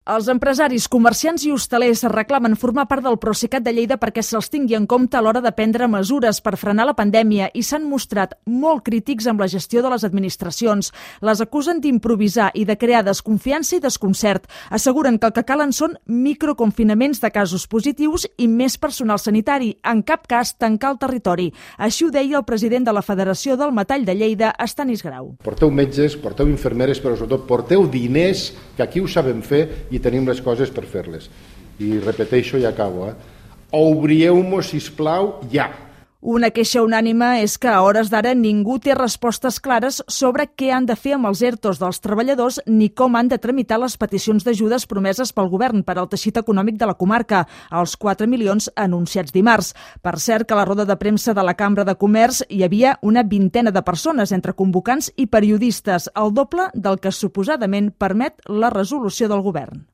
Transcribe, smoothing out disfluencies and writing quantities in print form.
Els empresaris, comerciants i hostalers reclamen formar part del Procicat de Lleida perquè se'ls tingui en compte a l'hora de prendre mesures per frenar la pandèmia i s'han mostrat molt crítics amb la gestió de les administracions. Les acusen d'improvisar i de crear desconfiança i desconcert. Asseguren que el que calen són microconfinaments de casos positius i més personal sanitari, en cap cas tancar el territori. Així ho deia el president de la Federació del Metall de Lleida, Estanis Grau. Porteu metges, porteu infermeres, però sobretot porteu diners, que aquí ho sabem fer i tenim les coses per fer-les. I repeteixo i acabo. Obrieu-mos, sisplau, ja. Una queixa unànime és que a hores d'ara ningú té respostes clares sobre què han de fer amb els ERTOs dels treballadors ni com han de tramitar les peticions d'ajudes promeses pel govern per al teixit econòmic de la comarca, els 4 milions anunciats dimarts. Per cert, que a la roda de premsa de la Cambra de Comerç hi havia una vintena de persones entre convocants i periodistes, el doble del que suposadament permet la resolució del govern.